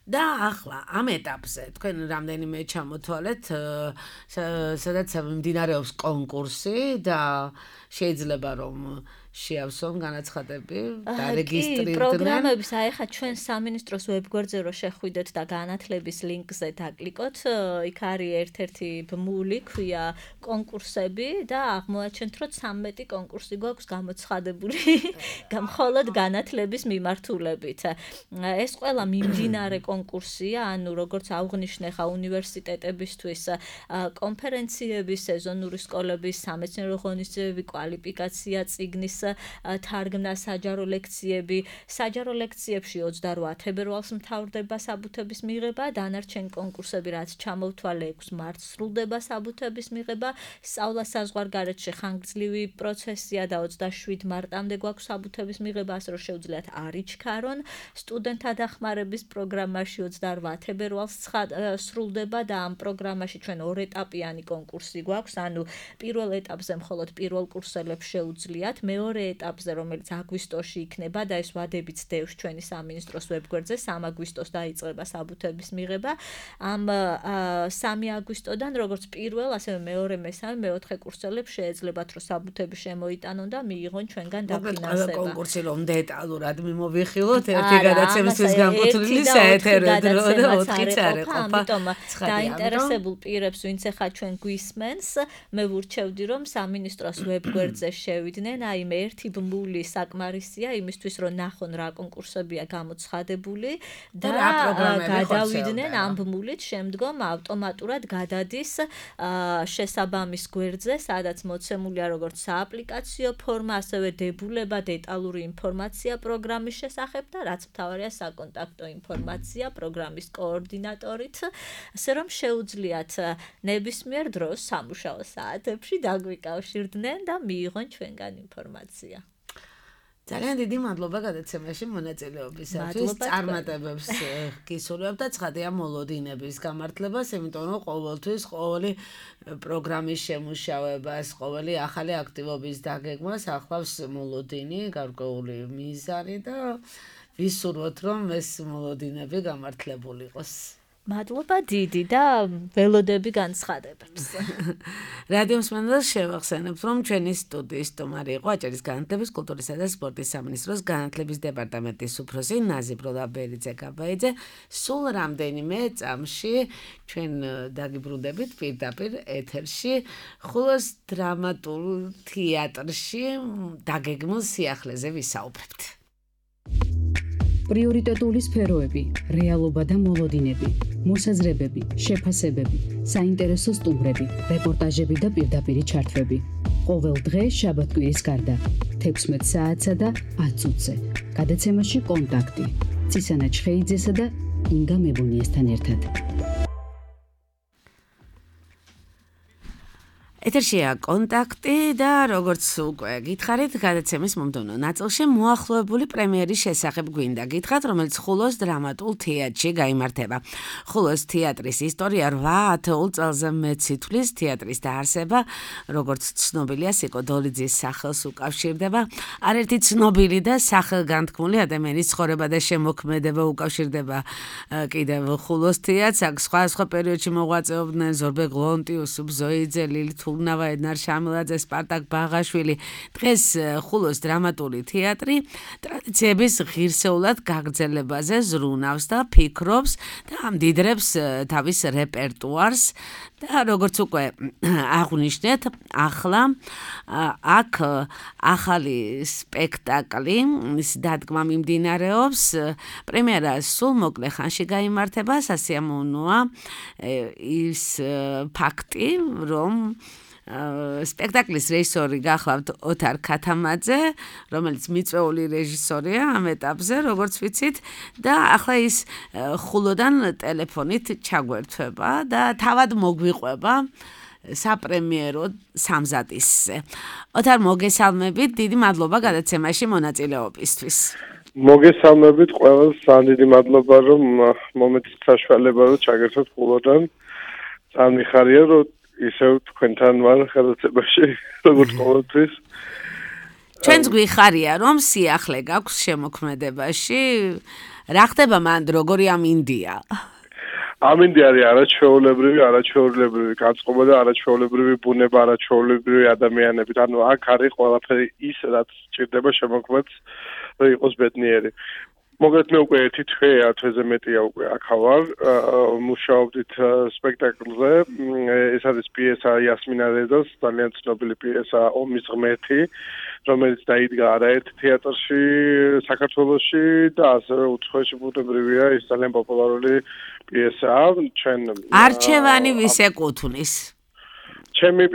და ახლა ამ ეტაპზე თქვენ რამდენიმე ჩამოთვალეთ, სადაც მიმდინარეობს კონკურსი და შეიძლება რომ შეავსონ განაცხადები და რეგისტრირდნენ. პროგრამების ახლა ჩვენ სამინისტროს ვებგვერდზე რო შეხვიდეთ და განათლების ლინკზე დაკლიკოთ, იქ არის ერთ-ერთი ბმული ქვია კონკურსები და აღმოაჩენთ რომ 13 კონკურსი გვაქვს გამოცხადებული მხოლოდ განათლების მიმართულებით. ეს ყველა მიმდინარე კონკურსია, ანუ როგორც აღვნიშნე ხა უნივერსიტეტებისთვის კონფერენციების, სეზონური სკოლების, სამეცნიერო ღონისძიებები, კვალიფიკაცია, წიგნის თარგმნა, საჯარო ლექციები. საჯარო ლექციებში 28 თებერვალს მთავრდება საბუთების მიღება, დანარჩენი კონკურსები რაც ჩამოვთვალე 6 მარტს სრულდება საბუთების მიღება. სწავლა საზღვარგარეთში ხანგრძლივი პროცესია და 27 მარტამდე გვაქვს საბუთების მიღება, ასე რომ შეუძლიათ არ იჩქარონ. სტუდენტთა დახმარების პროგრამაში 28 თებერვალს სრულდება და ამ პროგრამაში ჩვენ 2 ეტაპიანი კონკურსი გვაქვს, ანუ პირველ ეტაპზე მხოლოდ პირველ კურსელებს შეუძლიათ, მეორე ეტაპზე, რომელიც აგვისტოში იქნება და ეს ვადებიც დევს ჩვენი სამინისტროს ვებგვერდზე, 3 აგვისტოს დაიწყება საბუთების მიღება. ამ 3 აგვისტოდან, როგორც პირველ, ასევე მეორე, მესამე, მეოთხე კურსელებს შეეძლებათ, რომ საბუთები შემოიტანონ და მიიღონ ჩვენგან დაფინანსება. კონკურსი რომ დეტალურად მიმოვიხილოთ, ერთი გადაცემისთვის განკუთვნილი საეთერო დრო და 4-იც არ ეყოფა. ამიტომ დაინტერესებულ პირებს, ვინც ახლა ჩვენ გვისმენს, მე ვურჩევდი, რომ სამინისტროს ვებგვერდზე შევიდნენ, აი მე ერთი ბმული საკმარისია იმისთვის რომ ნახონ რა კონკურსებია გამოცხადებული და გადავიდნენ ამ ბმულით შემდგომ ავტომატურად გადადის შესაბამის გვერდზე სადაც მოცემულია როგორც სააპლიკაციო ფორმა ასევე დებულება დეტალური ინფორმაცია პროგრამის შესახებ და რაც მთავარია საკონტაქტო ინფორმაცია პროგრამის კოორდინატორით ასე რომ შეუძლიათ ნებისმიერ დროს სამუშაო საათებში დაგვიკავშირდნენ და მიიღონ ჩვენგან ინფორმაცია. ძალიან დიდი მადლობა გადაცემაში მონაწილეობისათვის. წარმატებებს გისურვებ და ცხადია მოლოდინების გამართლებას, იმიტომ რომ ყოველთვის ყოველი პროგრამის შემუშავებას, ყოველი ახალი აქტივობის დაგეგმას ახლავს მოლოდინი, გარკვეული მიზანი და ვისურვოთ რომ ეს მოლოდინები გამართლებული იყოს. მადლობა დიდი და ველოდები განცხადებებს. რადიო მსმენელს შევახსენებთ, რომ ჩვენი სტუდიის სტუმარი იყო აჭარის განათლების, კულტურისა და სპორტის სამინისტროს განათლების დეპარტამენტის უფროსი ნაზი ბროლაბერიძე-გაბაიძე. სულ რამდენიმე წამში ჩვენ დაგიბრუნდებით პირდაპირ ეთერში ხულოს დრამატულ თეატრში დაგეგმილ სიახლეზე ვისაუბრებთ. პრიორიტეტული სფეროები, რეალობა და მოლოდინები, მოსაზრებები, შეფასებები, საინტერესო სტუმრები, რეპორტაჟები და პირდაპირი ჩართვები. ყოველ დღე შაბათ-კვირის გარდა 16 საათსა და 10 წუთზე. გადაცემაში კონტაქტი. ცისანა ჩხეიძესა და ინგა მებუნიესთან ერთად. ეთერშია კონტაქტი და როგორც უკვე გითხარით, გადაცემის მომდევნო ნაწილში მოახლოებული პრემიერის შესახებ გვინდა გითხრათ, რომელიც ხულოს დრამატულ თეატრში გაიმართება. ხულოს თეატრის ისტორია 8 წელზე მეტ სითვლის თეატრის დაარსება, როგორც ცნობილია, სიკო დოლიძის სახელს უკავშირდება. არერთი ცნობილი და სახელგანთქმული ადამიანის ცხოვრება და შემოქმედება უკავშირდება კიდევ ხულოს თეატრს. აქ სხვა პერიოდში მოღვაწეობდნენ ზორბე გლონტი, უსუფ ზოიძე, ლილი თურნავა, ედნარ შამილაძე, სპარტაკ ბაღაშვილი. დღეს ხულოს დრამატული თეატრი ტრადიციების ღირსეულად გაგრძელებაზე ზრუნავს და ფიქრობს და ამდიდრებს თავის რეპერტუარს და როგორც უკვე აღვნიშნეთ, ახლა აქ ახალი სპექტაკლი დადგმა მიმდინარეობს. პრემიერა სულ მოკლე ხანში გაიმართება. სასიამოვნოა ის ფაქტი, რომ სპექტაკლის რეჟისორი გახლავთ ოთარ ქათამაძე, რომელიც მიწვეული რეჟისორია ამ ეტაპზე, როგორც ვიცით, და ახლა ის ხულოდან ტელეფონით ჩაგვერთვება და თავად მოგვიყვება საპრემიერო სამზადისზე. ოთარ, მოგესალმებით, დიდი მადლობა გადაცემაში მონაწილეობისთვის. მოგესალმებით ყველას, დიდი მადლობა, რომ მომეცით საშუალება, რომ ჩაგერთოთ ხულოდან. ძალიან მიხარია, რომ ისევ თქვენთან ვარ გადაცემაში, როგორც ყოველთვის. ჩვენც გვიხარია, რომ სიახლე გაქვს შემოქმედებაში. რა ხდება მანდ, როგორი ამინდია? ამინდი არის არაჩვეულებრივი განწყობა და არაჩვეულებრივი ბუნება, არაჩვეულებრივი ადამიანები. ანუ აქ არის ყველაფერი ის, რაც ჭირდება შემოქმედს, რომ იყოს ბედნიერი. მოგეთ მე უკვე ერთი თვეზე მეტია უკვე აქ ვარ, მუშაობდით სპექტაკლზე. ეს არის პიესა იასმინა რეზას, ძალიან ცნობილი პიესა ომის ღმერთი, რომელიც დაიდგა არაერთ თეატრში საქართველოში და ასევე უცხოეთში ბუნებრივია, ის ძალიან პოპულარული პიესაა. ჩვენ არჩევანი ვის ეკუთვნის? ჩემი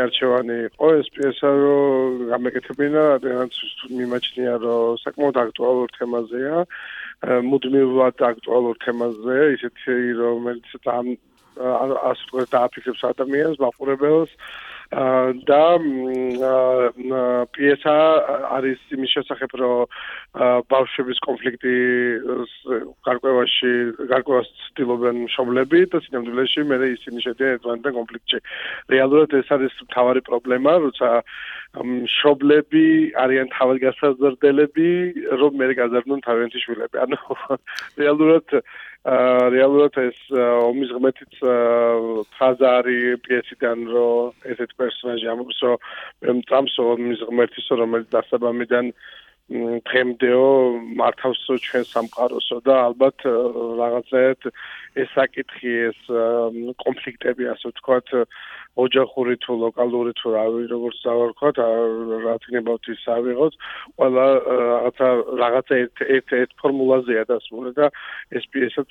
არჩევანი იყო ეს პიესა, რომ გამეკეთებინა, რადგან მიმაჩნია, რომ საკმაოდ აქტუალურ თემაზეა, მუდმივად აქტუალურ თემაზეა, ისეთი, რომელიც ასე ვთქვათ, დააფიქრებს ადამიანს, მაყურებელს. და პიესა არის იმის შესახებ, რომ ბავშვების კონფლიქტი გარკვევას ცდილობენ მშობლები და სინამდვილეში მე ისინი შედიან ერთმანეთთან კონფლიქტში. რეალურად ეს არის მთავარი პრობლემა, როცა მშობლები არიან თავგასაზრდელები, რომ მე გაზარდნონ თავიანთი შვილები. ანუ რეალურად ეს ომის ღმერთიც ფრაზა არის პიესიდან, რომ ესეთ პერსონაჟი ამბობს, რომ მე მწამს ომის ღმერთისო, რომელიც დასაბამიდან დღემდეო მართავს ჩვენ სამყაროსო და ალბათ რაღაცაერთ ეს საკითხი, ეს კონფლიქტები, ასე ვთქვათ, ოჯახური თუ ლოკალური თუ როგორც დავარქვათ, რა თქმა ის ავიღოთ, ყველა რაღაცა ერთ ფორმულაზეა დასმული და ეს პიესაც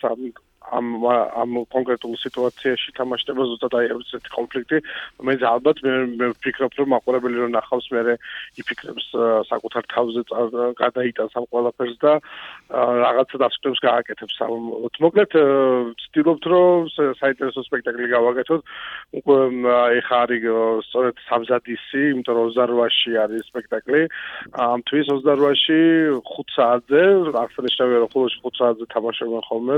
ამ კონკრეტულ სიტუაციაში თამაშდება ზუსტად აი ესეთი კონფლიქტი, რომელიც ალბათ მე ვფიქრობ, რომ მაყურებელი რომ ნახავს, მე იფიქრებს საკუთარ თავზე გადაიტანს ამ ყველაფერს და რაღაცა დასკვნებს გააკეთებს. მოკლედ ვცდილობთ, რომ საინტერესო სპექტაკლი გავაკეთოთ. უკვე ეხა არის სწორედ სამზადისი, იმიტომ რომ 28-ში არის სპექტაკლი. ამ თვის 28-ში 5 საათზე, აღსანიშნავია, რომ ხულოში 5 საათზე თამაშობენ ხოლმე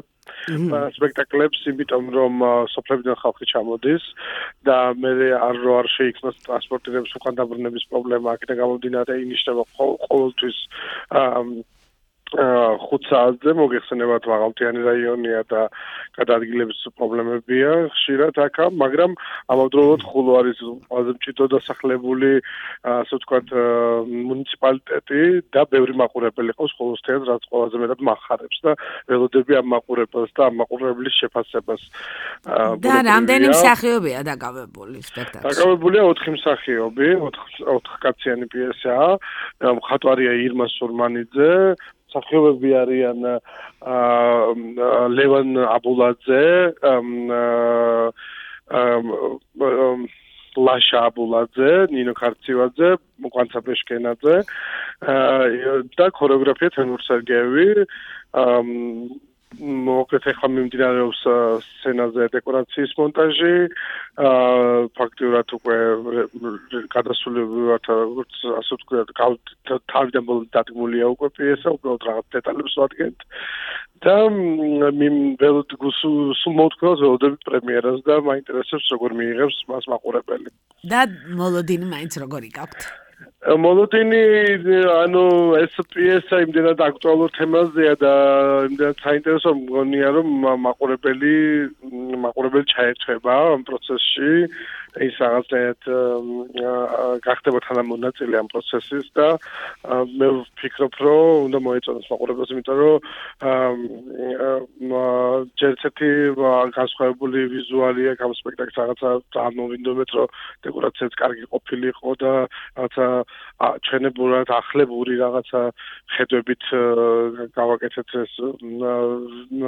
სპექტაკლებს, იმიტომ რომ სოფლებიდან ხალხი ჩამოდის და მე არ შეიქმნას ტრანსპორტირების უკან დაბრუნების პრობლემა, აქედან გამომდინარე ინიშნება ყოველთვის 5 საათზე მოგეხსენებათ მაღალმთიანი რაიონია და გადაადგილების პრობლემებია ხშირად აქ, მაგრამ ამავდროულად ხულო არის ყველაზე მჭიდრო დასახლებული, ასე ვთქვათ, მუნიციპალიტეტი და ბევრი მაყურებელი ყავს ხულოს თეატრს, რაც ყველაზე მეტად მახარებს და ველოდები ამ მაყურებელს და ამ მაყურებლის შეფასებას. და რამდენი მსახიობია დაკავებული სპექტაკლში? დაკავებულია 4 მსახიობი, 4 კაციანი პიესაა. მხატვარია ირმა სურმანიძე, მსახიობები არიან ლევან აბულაძე, ლაშა აბულაძე, ნინო ქარცივაძე, კვანცა პეშკენაძე და ქორეოგრაფია თემურ სერგეევი. მოკლედ ახლა მიმდინარეობს სცენაზე დეკორაციის მონტაჟი. ფაქტიურად უკვე გადასულები ვართ, როგორც ასე ვთქვათ, თავიდან ბოლომდე დადგმულია უკვე პიესა, უბრალოდ რაღაც დეტალებს ვადგენთ. და სულ მოვთქვათ ველოდებით პრემიერას და მაინტერესებს როგორ მიიღებს მას მაყურებელი. და მოლოდინი მაინც როგორი გაქვთ? მოლოდინი, ანუ ეს პიესა იმდენად აქტუალურ თემაზეა და იმდენად საინტერესო მგონია, რომ მაყურებელი ჩაერთვება ამ პროცესში. ის რაღაცნაირად გახდება თანამონაწილე ამ პროცესის და მე ვფიქრობ, რომ უნდა მოეწონოს მაყურებელს, იმიტომ რომ ჯერ ერთი განსხვავებული ვიზუალია ამ სპექტაკლს, რაღაცა წარმოვინდომეთ, რომ დეკორაციაც კარგი ყოფილიყო და რაღაცა ჩვენებურად ახლებური რაღაცა ხედვებით გავაკეთეთ ეს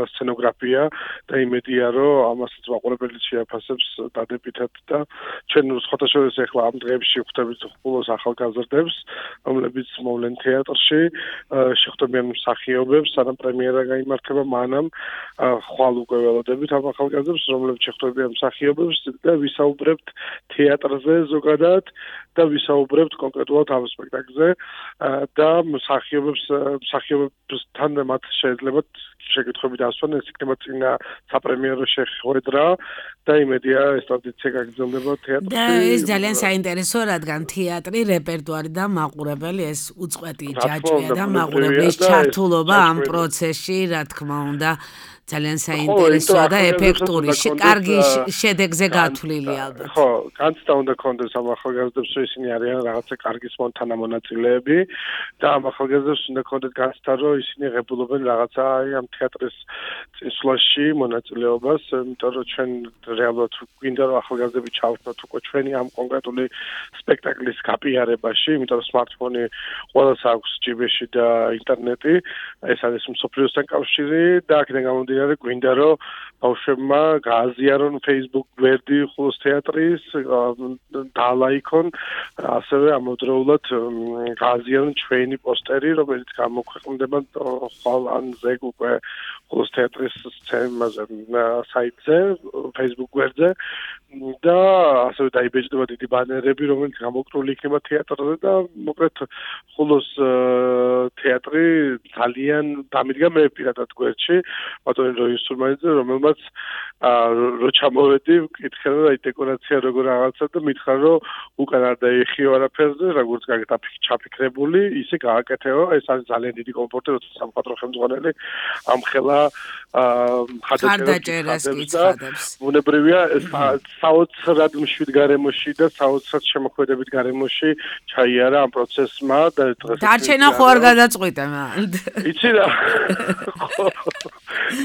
სცენოგრაფია და იმედია, რომ ამასაც მაყურებელი შეაფასებს დადებითად და ჩვენ სხვათა შორის ახლა ამ დღეებში ხვდებით ხოლოს ახალგაზრდებს, რომლებიც მოვლენ თეატრში, შეხვდებიან მსახიობებს, სანამ პრემიერა გაიმართება, მანამ ხვალ უკვე ველოდებით ამ ახალგაზრდებს, რომლებიც შეხვდებიან მსახიობებს და ვისაუბრებთ თეატრზე ზოგადად და ვისაუბრებთ კონკრეტულად ამ სპექტაკლზე და მსახიობებთან მათ შეიძლება შეკითხვები დასვან, ეს იქნება წინა საპრემიერო შეხვედრა და იმედია ეს ტრადიცია გაგრძელდება თეატრში. და ეს ძალიან საინტერესო, რადგან თეატრი, რეპერტუარი და მაყურებელი ეს უწყვეტი ჯაჭვია და მაყურებლის ჩართულობა ამ პროცესში, რა თქმა უნდა, ძალიან საინტერესოა და ეფექტური, კარგი შედეგზე გათვლილი ალბათ. ხო, განცდა უნდა კონდეს ამ ახალგაზრდებს, რომ ისინი არიან რაღაცა კარგი თანამონაწილეები და ამ ახალგაზრდებს უნდა კონდეთ განცდა, რომ ისინი ღებულობენ რაღაცა ამ თეატრის წინსვლაში მონაწილეობას, იმიტომ რომ ჩვენ რეალურად გვინდა რომ ახალგაზრდები ჩავთვალოთ უკვე ჩვენი ამ კონკრეტული სპექტაკლის გაპიარებაში, იმიტომ რომ სმარტფონი ყველას აქვს ჯიბეში და ინტერნეტი, ეს არის მსოფლიოსთან კავშირი და აქედან გამომდინარე გვინდა რომ ბავშვებმა გააზიარონ Facebook გვერდი ხულოს თეატრის, დაალაიქონ, ასევე ამავდროულად გააზიარონ ჩვენი პოსტერი, რომელიც გამოქვეყნდება ხვალ ან ზეგ უკვე ხულოს თეატრის საიტზე, Facebook გვერდზე და ასევე დაიბეჭდება დიდი ბანერები, რომელიც გამოკრული იქნება თეატრზე და მოკლედ ხულოს თეატრი ძალიან დამიდგა მე პირადად გვერდში, ბატონი როის სურმანიძე, რომელმაც რო ჩამოვედი, ვკითხე რომ აი დეკორაცია როგორ რაღაცა და მითხრა რომ უკან არ დაიხიო არაფერზე, როგორც ჩაფიქრებული, ისე გააკეთეო, ეს არის ძალიან დიდი კომფორტი, როცა სამხატვრო ხელმძღვანელი ამხელა ხარდაჭერას გიცხადებს. ბუნებრივია საოცრად მშვიდ გარემოში და საოცრად შემოქმედებით გარემოში ჩაიარა ამ პროცესმა და დარჩენა ხო არ გადაწყვიტა მან. იცი რა.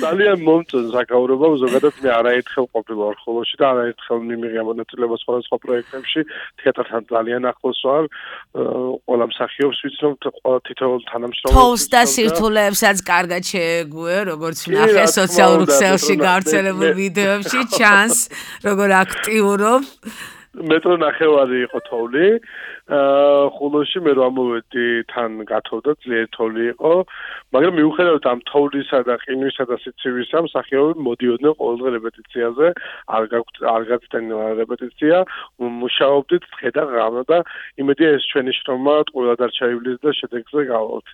ძალიან მომწონს საკაურობა, ზოგადად მე არაერთხელ ყოფილვარ ხოლოში და არაერთხელ მიმიღია მონაწილეობა სხვადასხვა პროექტებში, თეატრთან ძალიან ახლოს ვარ, ყველა მსახიობს ვიცნობ, ყველა თითოეულ თანამშრომელს. თოვს და სირთულეებსაც კარგად შეეგუე, როგორც ვნახე სოციალურ ქსელში გავრცელებულ ვიდეოებში, ჩანს როგორ აქტიურობ. მეტრო ნახევარი იყო თოვლი. ხულოში მე რომ ამოვედი თან გათოვდა ძლიერი თოვლი იყო, მაგრამ მიუხედავად ამ თოვლისა და ყინვისა და სიცივისა, მსახიობები მოდიოდნენ ყოველდღე რეპეტიციაზე, არ გაცდენ რეპეტიცია, მუშაობდით დღე და ღამე და იმედია ეს ჩვენი შრომა ტყუილად არ ჩაივლის და შედეგზე გავალთ.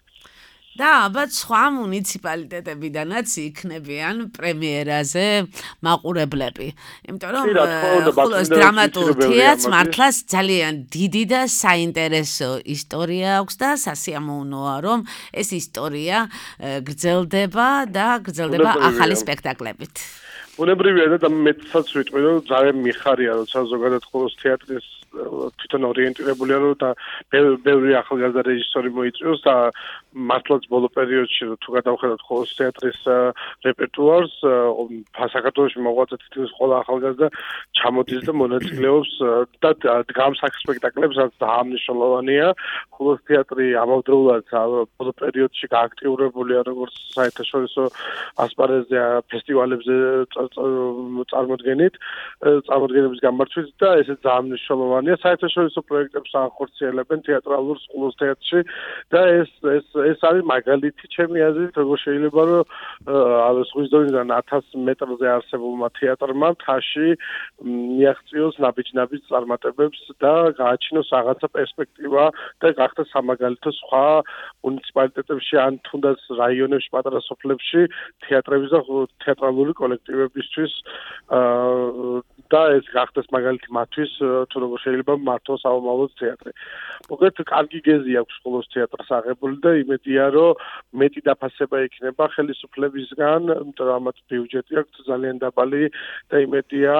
და ალბათ სხვა მუნიციპალიტეტებიდანაც იქნებიან პრემიერაზე მაყურებლები. იმიტომ რომ ხულოს დრამატულ თეატრს მართლაც ძალიან დიდი და საინტერესო ისტორია აქვს და სასიამოვნოა, რომ ეს ისტორია გრძელდება და გრძელდება ახალი სპექტაკლებით. ბუნებრივია და მეცაც ვიტყვი, რომ ძალიან მიხარია, როცა ზოგადად ხულოს თეატრის თვითონ ორიენტირებულია, რომ და ბევრი ახალგაზრდა რეჟისორი მოიწვიოს და მართლაც ბოლო პერიოდში თუ გადავხედოთ ხულოს თეატრის რეპერტუარს, საქართველოში მოღვაწე თითქმის ყველა ახალგაზრდა ჩამოდის და მონაწილეობს და დგამს აქ სპექტაკლებს, რაც დაამნიშნულოვანია. ხულოს თეატრი ამავდროულად ბოლო პერიოდში გააქტიურებულია როგორც საერთაშორისო ასპარეზზე, ფესტივალებზე წარმოდგენების გამართვით და ესეც დაამნიშნულოვანია მნიშვნელოვანია საერთაშორისო პროექტებს ახორციელებენ თეატრალურ სკოლას თეატრში და ეს არის მაგალითი ჩემი აზრით როგორ შეიძლება რომ ზღვის დონიდან 1000 მეტრზე არსებულმა თეატრმა მთაში მიაღწიოს ნაბიჯ-ნაბიჯ წარმატებებს და გააჩინოს რაღაცა პერსპექტივა და გახდეს სამაგალითო სხვა მუნიციპალიტეტებში ან თუნდაც რაიონებში პატარა სოფლებში თეატრების და თეატრალური კოლექტივებისთვის და ეს გახდეს მაგალითი მათთვის თუ როგორ შეიძლება მართოს საომავლო თეატრი. მოკლედ კარგი გეზი აქვს სკოლოს თეატრს აღებული და იმედია რომ მეტი დაფასება იქნება ხელისუფლებისგან, იმიტომ რომ ამათ ბიუჯეტი აქვს ძალიან დაბალი და იმედია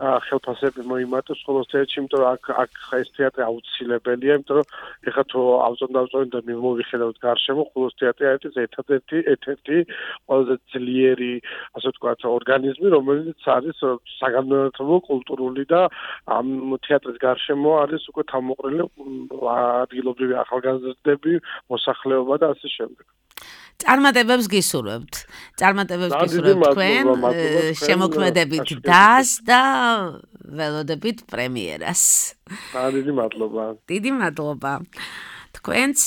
ხელფასები მოიმატოს სკოლოს თეატრში, იმიტომ რომ აქ ეს თეატრი აუცილებელია, იმიტომ რომ ეხლა თუ ავწონდავწონი და მოვიხედავთ გარშემო სკოლოს თეატრი არის ერთ-ერთი ყველაზე ძლიერი, ასე ვთქვათ, ორგანიზმი, რომელიც არის საგანმანათლებლო, კულტურული და ამ თეატრის გარშემო არის უკვე თავმოყრილი ადგილობრივი ახალგაზრდები, მოსახლეობა და ასე შემდეგ. წარმატებებს გისურვებთ. წარმატებებს გისურვებთ თქვენ, შემოქმედებით დას და ველოდებით პრემიერას. დიდი მადლობა. დიდი მადლობა. თქვენც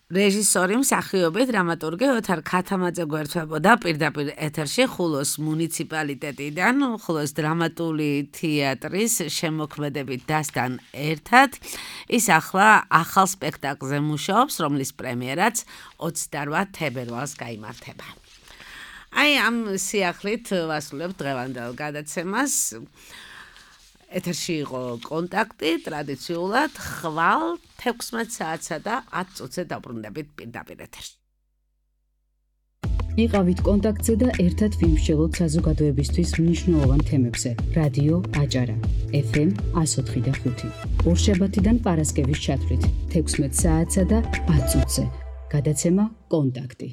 რეჟისორი მსახიობი დრამატურგი ოთარ ქათამაძე გვერდთვებოდა პირდაპირ ეთერში ხულოს მუნიციპალიტეტიდან, ხულოს დრამატული თეატრის შემოქმედებით დასთან ერთად. ის ახლა ახალ სპექტაკლზე მუშაობს, რომლის პრემიერაც 28 თებერვალს გაიმართება. აი ამ სიახლით ვასრულებთ დღევანდელ გადაცემას. ეთერში იყო კონტაქტი, ტრადიციულად ხვალ 16 საათსა და 10 წუთზე დაბრუნდებით პირდაპირ ეთერში. იყავით კონტაქტზე და ერთად ვიმსჯელოთ საზოგადოებისთვის მნიშვნელოვან თემებზე. რადიო აჭარა, FM 104.5. ორშაბათიდან პარასკევის ჩათვლით 16 საათსა და 10 წუთზე. გადაცემა კონტაქტი.